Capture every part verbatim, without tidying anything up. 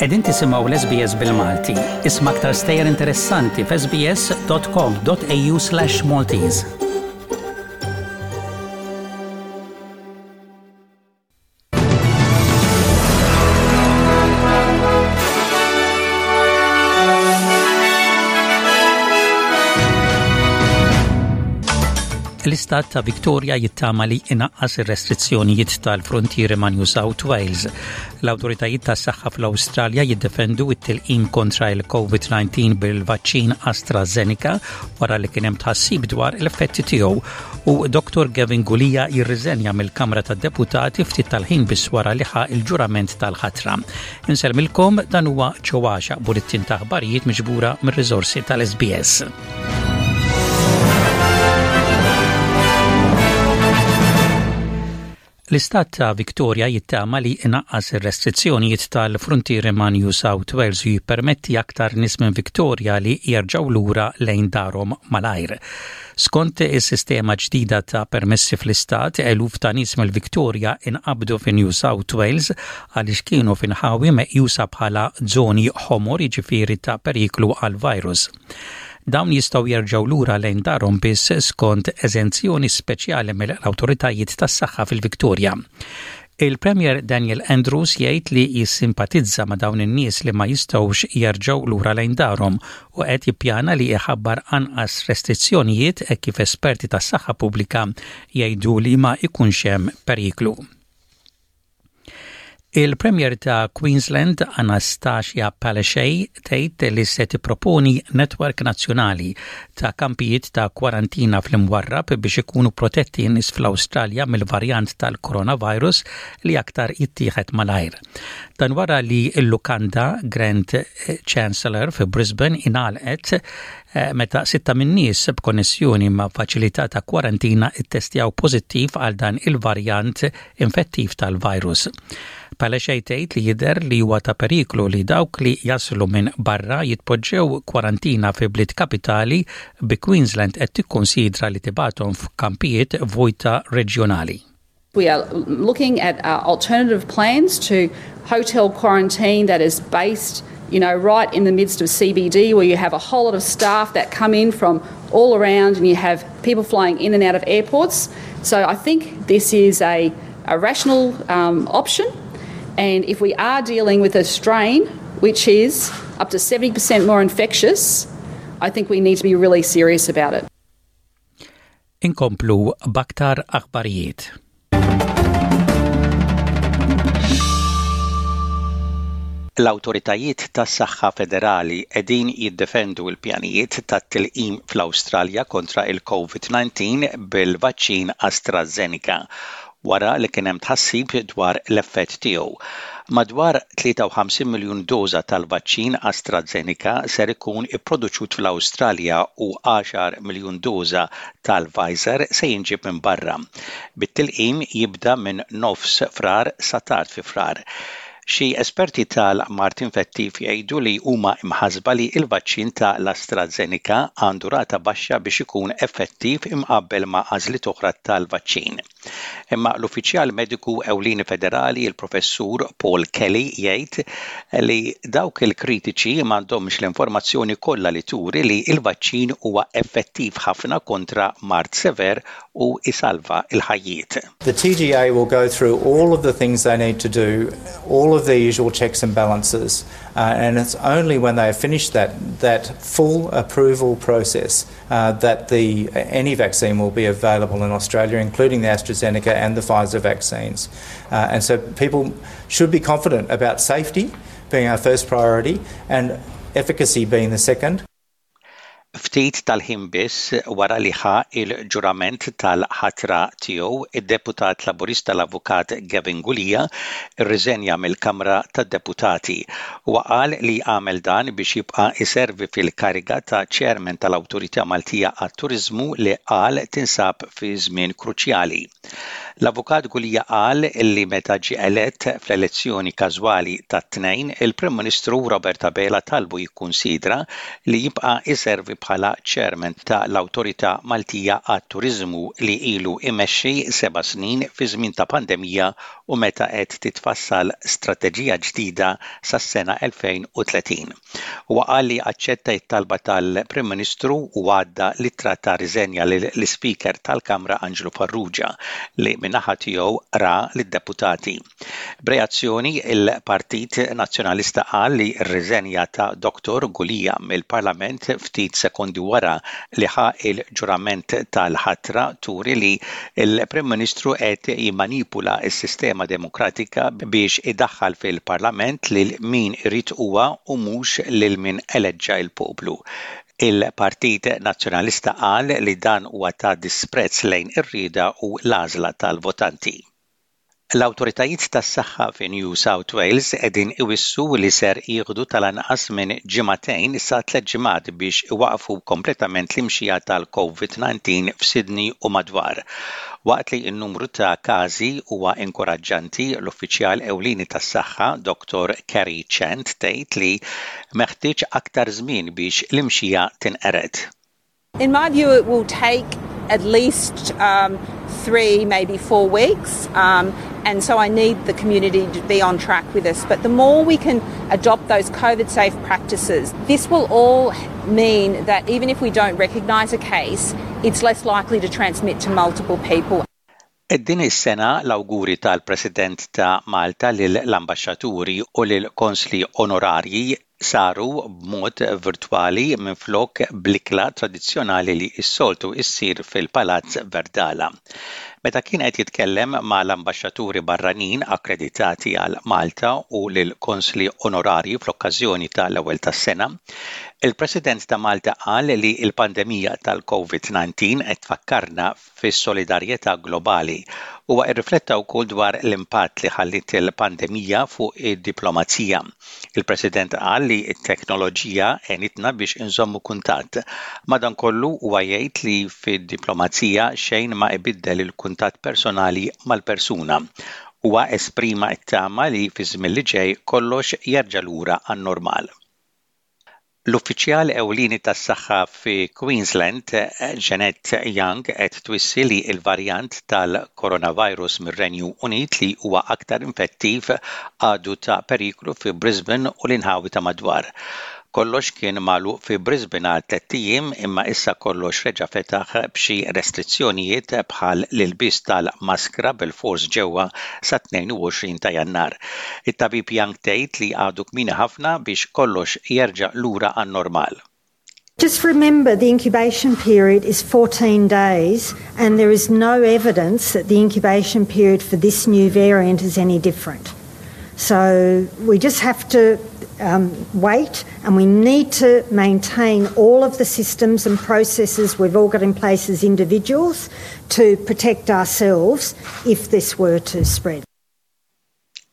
Qegħdin tisimgħu l-S B S bil-Malti. Isma' aktar stejjer interessanti f'S B S dot com dot A U slash Maltese. L-istat ta' Victoria jittama li inaqqas ir-restrizzjonijiet tal-frontieri ma' New South Wales. L-awtoritajiet tas-saħħa fl-Awstralja jiddefendu it-tilqim kontra il-COVID nineteen bil-vaċċin AstraZeneca wara li kien hemm tħassib dwar l-effetti tiegħu, u Doctor Gavin Gulia jirriżenja mill-Kamra tad-Deputati ftit tal-ħin biss wara li ħa il-ġurament tal-ħatra. Insellmilkom, dan huwa ċowaxa bulletin ta' aħbarijiet miġbura mir-riżorsi tal-S B S. L-istat ta' Victoria jittama li inaqqas ir-restrizzjonijiet tal-frontieri ma' New South Wales u jippermetti aktar nies minn Victoria li jerġgħu lura lejn darhom malajr. Skont is-sistema ġdida ta' permessi fl-istat, eluf ta' nies mill-Victoria inqabdu fi New South Wales għaliex kienu f'inħawi meqjusa bħala żoni ħomor, jiġifieri ta' periklu għal-virus. Dawn jistgħu jerġgħu lura lejn darhom biss skont eżenzjoni speċjali mill-awtoritajiet tas-saħħa fil-Victoria. Il-Premier Daniel Andrews jgħid li jissimpatizza ma' dawn in-nies li ma jistgħux jerġgħu lura lejn darhom u qed jippjana li jħabbar anqas restrizzjonijiet hekk kif esperti tas-saħħa pubblika jgħidu li ma jkunx hemm periklu. Il-Premier ta' Queensland Anastasia Palaszczuk tgħid li se tipproponi netwerk nazzjonali ta' kampijiet ta' kwarantina fl-imwarrab biex ikunu protetti n-nies fl-Awstralja mill-varjant tal-coronavirus li aktar jittieħed malajr. Dan wara li l-lukanda Grand Chancellor fi Brisbane ingħalqet eh, meta sitta minn nies b'konnessjoni ma' faċilità ta' kwarantina ittestjaw pożittiv għal dan il-varjant infettiv tal-virus. Palaszczuk tgħid li jidher li huwa ta' periklu li dawk li jaslu minn barra jitpoġġew kwarantina fi bliet kapitali, bi Queensland qed tikkonsidra li tibgħathom f'kampijiet vojta reġjonali. We are looking at uh, alternative plans to hotel quarantine that is based you know, right in the midst of C B D, where you have a whole lot of staff that come in from all around and you have people flying in and out of airports. So I think this is a, a rational um, option. And if we are dealing with a strain which is up to seventy percent more infectious, I think we need to be really serious about it. Inkomplu b'aktar aħbarijiet. L-awtoritajiet tas-saħħa federali qegħdin jiddefendu l-pjanijiet tat-tilqim fl-Awstralja kontra il-COVID nineteen bil-vaċċin AstraZeneca wara li kien hemm tħassib dwar l-effett tiegħu. Madwar tlieta u ħamsin miljun doża tal-vaċċin AstraZeneca ser ikun ipproduċut fl-Awstralja u għaxar miljun doża tal-Pfizer se jinġib minn barra. Bit-tilqim jibda minn nofs Frar sa tard fi Frar. Xi esperti tal-mard infettiv jgħidu li huma imħasba li l-vaċċin ta' l-AstraZeneca għandu rata baxxa biex ikun effettiv imqabbel ma' għażliet oħra tal-vaċċin. Imma l-uffiċjal mediku ewlieni federali, il-professur Paul Kelly, jgħid li dawk il-kritiċi m'għandhomx l-informazzjoni kollha li turi li l-vaċċin huwa effettiv ħafna kontra mard sever u isalva il-ħajjiet. The T G A will go through all of the things they need to do, all of the usual checks and balances, uh, and it's only when they have finished that, that full approval process uh, that the, any vaccine will be available in Australia, including the AstraZeneca and the Pfizer vaccines. Uh, and so people should be confident about safety being our first priority and efficacy being the second. Ftit tal-ħin biss wara li ħa il-ġurament tal-ħatra tiegħu, id-deputat Laburista l-Avukat Gavin Gulia irriżenja mill-Kamra tad-Deputati. Huwa qal li għamel dan biex jibqa' iservi fil-kariga ta' chairman tal-Awtorità Maltija għat-Turiżmu li qal tinsab fi żmien kruċjali. L-Avukat Gulia qal li meta ġie elett fl-elezzjoni każwali tat-Tnejn, il-Prim Ministru Robert Abela talbu jikkunsidra li jibqa' iservi bħala chairman ta' l-Awtorità Maltija għat-Turiżmu li ilu imexxi seba' snin fi żmien ta' pandemija u meta qed titfassal strateġija ġdida sas-sena elfejn u tletin. Huwa qal li aċċetta t-talba tal-Prim Ministru u għadda l-ittra ta' riżenja lill-Ispeaker tal-Kamra Anġlu Farrugia, li min-naħa tiegħu qra lid-deputati. B'reazzjoni, il-Partit Nazzjonalista qal li r-riżenja ta' Dottor Gulia mill-Parlament ftit sekondi wara li ħa il-ġurament tal-ħatra turi li il-Prim Ministru qed jimmanipula s-sistema demokratika biex idaħħal fil-Parlament lil min irid huwa u mhux lil min eleġġa il-poplu. Il-Partit Nazzjonalista qal li dan huwa ta' disprezz lejn ir-rieda u l-għażla tal-votanti. L-awtoritajiet tas-saħħa fi New South Wales qegħdin iwissu li ser jieħdu tal-anqas minn ġimagħtejn sa tliet ġimgħat biex iwaqfu kompletament l-imxija tal-COVID nineteen f'Sydney u madwar. Waqt li n-numru ta' każi huwa inkoraġġanti, l-uffiċjal ewlieni tas-saħħa Doctor Kerry Chant tgħid li meħtieġ aktar żmien biex l-imxija tinqered. In my view, it will take at least um, three, maybe four weeks. Um, and so I need the community to be on track with us. But the more we can adopt those COVID safe practices, this will all mean that even if we don't recognise a case, it's less likely to transmit to multiple people. Din is-sena l-awguri tal-President ta' Malta lill-ambaxxaturi u lill-konsli onorarji saru b'mod virtwali minflok bl-ikla tradizzjonali li s-soltu issir fil-Palazz Verdala. Meta kien qed jitkellem mal-ambaxxaturi barranin akkreditati għal Malta u lill-konsli onorarji fl-okkażjoni tal-ewwel tas-sena, il-President ta' Malta qal li l-pandemija tal-COVID nineteen qed tfakkarna fis-solidarjetà globali. Huwa irrifletta wkoll dwar l-impatt li ħallit il-pandemija fuq id-diplomazija. Il-President qal li t-teknoloġija għenitna biex inżommu kuntatt. Madankollu, huwa jgħid li fid-diplomazija xejn ma ibiddel il-kuntatt personali mal-persuna. Huwa esprima t-tama li fi żmien li ġej kollox jerġa' lura għan-normal. L-uffiċjal ewlieni tas-saħħa fi Queensland, Jeanette Young, qed twissi li l-varjant tal-coronavirus mir-Renju Unit li huwa aktar infettiv għadu ta' periklu fi Brisbane u l-inħawi ta' madwar. Kollox kien magħluq fi Brisbane għal tlett ijiem, imma issa kollox reġa' fetaħ b'xi restrizzjonijiet bħal l-ilbis tal-maskra bil-fors ġewwa sa tnejn u għoxrin ta' Jannar. It-tabib Young tgħid li għadu kmieni ħafna biex kollox jerġa' lura għan-normal. Just remember, the incubation period is fourteen days, and there is no evidence that the incubation period for this new variant is any different. So we just have to um, wait, and we need to maintain all of the systems and processes we've all got in place as individuals to protect ourselves if this were to spread.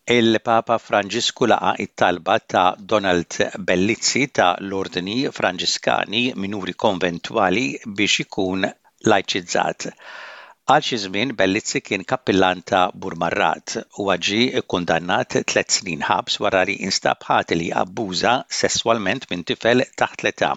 Il-Papa Franġisku laqa it-talba ta' Donald Bellizzi ta' l-Ordni Franġiskani Minuri Konventwali biex ikun lajċizzat. Għal xi żmien Bellizzi kien kappillan ta' Burmarrad u ġie kkundannat tliet snin ħabs wara li instab ħati li abbuża sesswalment minn tifel taħt l-età.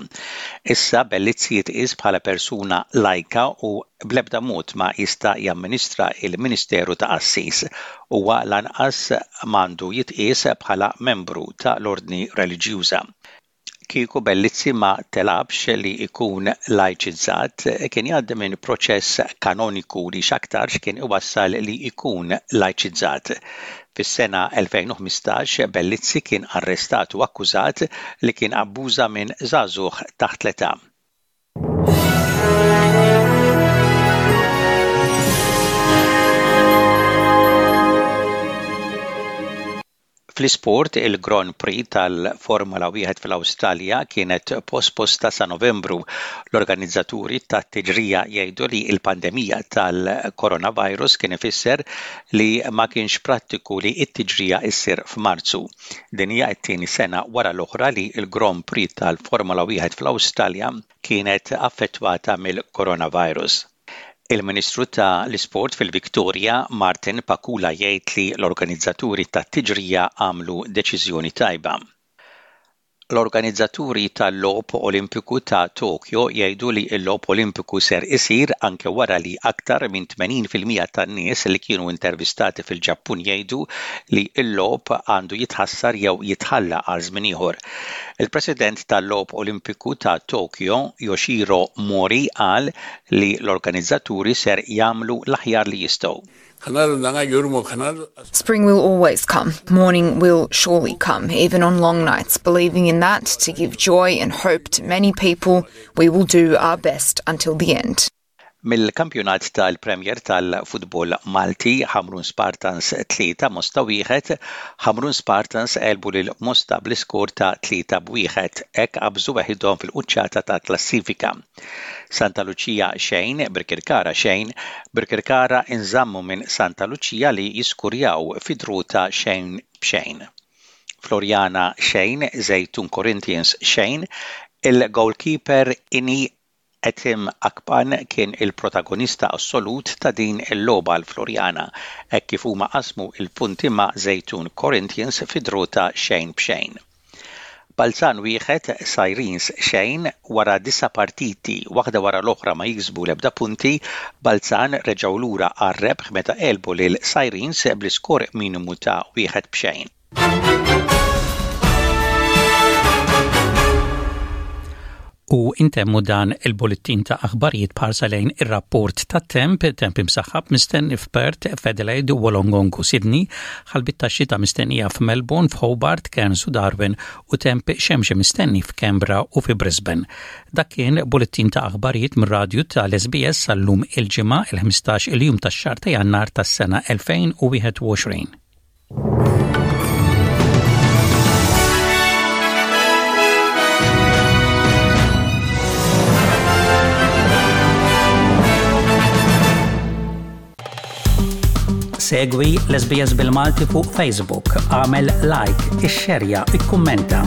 Issa Bellizzi jitqies bħala persuna lajka u bl-ebda mod ma jista' jamministra il-Ministeru ta' Qassis. Huwa lanqas m'għandu jitqies bħala membru ta' l-ordni reliġjuża. Kieku Bellizzi ma talabx li ikun lajċizzat, kien jgħaddi minn proċess kanoniku li x'aktarx kien iwassal li ikun lajċizzat. Fis-sena elfejn u ħmistax Bellizzi kien arrestat u akkużat li kien abbuża minn żagħżugħ taħt l-età. Fl-isport, il-Grand Prix tal-Formula wieħed fl-Awstralja kienet posposta sa Novembru. L-organizzaturi tat-tiġrija jgħidu li l-pandemija tal-coronavirus kien ifisser li ma kienx prattiku li t-tiġrija issir f'Marzu. Din hija t-tieni sena wara l-oħra li l-Grand Prix tal-Formula wieħed fl-Awstralja kienet affettwata mill-coronavirus. Il-Ministru ta' l-Isport fil-Viktoria, Martin Pakula, jgħid li l-organizzaturi tat-tiġrija għamlu deċiżjoni tajba. L-organizzaturi tal-Logħob Olimpiku ta' Tokyo jgħidu li l-Logħob Olimpiku ser isir anke wara li aktar minn tmenin fil-mija tan-nies li kienu intervistati fil-Ġappun jgħidu li l-logħob għandu jitħassar jew jitħalla għal żmien ieħor. Il-President tal-Logħob Olimpiku ta' Tokyo, Yoshiro Mori, qal li l-organizzaturi ser jagħmlu l-aħjar li jistgħu. Spring will always come. Morning will surely come, even on long nights. Believing in that, to give joy and hope to many people, we will do our best until the end. Mill-kampjonat tal-Premier tal-Futbol Malti, Ħamrun Spartans tlieta, Mosta wieħed, Ħamrun Spartans għelbu lil Mosta bl-iskor ta' tlieta b'wieħed, hekk qabżu weħidhom fil-quċċata ta' klassifika. Santa Lucia xejn, Birkirkara xejn, Birkirkara inżammu minn Santa Lucia li jiskurjaw fi draw ta' xejn b'xejn. Floriana xejn, Żejtun Corinthians xejn, il-goalkeeper Ini Etim Akpan kien il-protagonista assolut ta' din il-logħba l-Floriana, hekk kif huma qasmu il-punti ma' Żejtun Corinthians fi draw ta' xejn b'xejn. Balzan wieħed, Sirens xejn, wara disa partiti waħda wara l-oħra ma jiksbu l-ebda punti, Balzan reġgħu lura għar-rebħ meta għelbu lil Sirens bl-iskor minimu ta' wieħed b'xejn. U intemmu dan il-bullettin ta' aħbarijiet b'ħarsa lejn ir-rapport ta' temp, temp imsaħħab mistenni f'Perth, f'Adelaide, Wollongong u Sydney, ħalbiet ta' xita mistennija f'Melbourne, f'Hobart, Cairns u Darwin u temp xemxi mistenni f'Canberra u fi Brisbane. Dak kien bullettin ta' aħbarijiet mir-radju tal-S B S sal-lum il-Ġimgħa, il-ħmistax il-jum tax-xahar ta' Jannar tas-sena elfejn u wieħed u għoxrin. Segwi l-S B S bil-Malti fuq Facebook, għamel like, ixxerja, ikkummenta.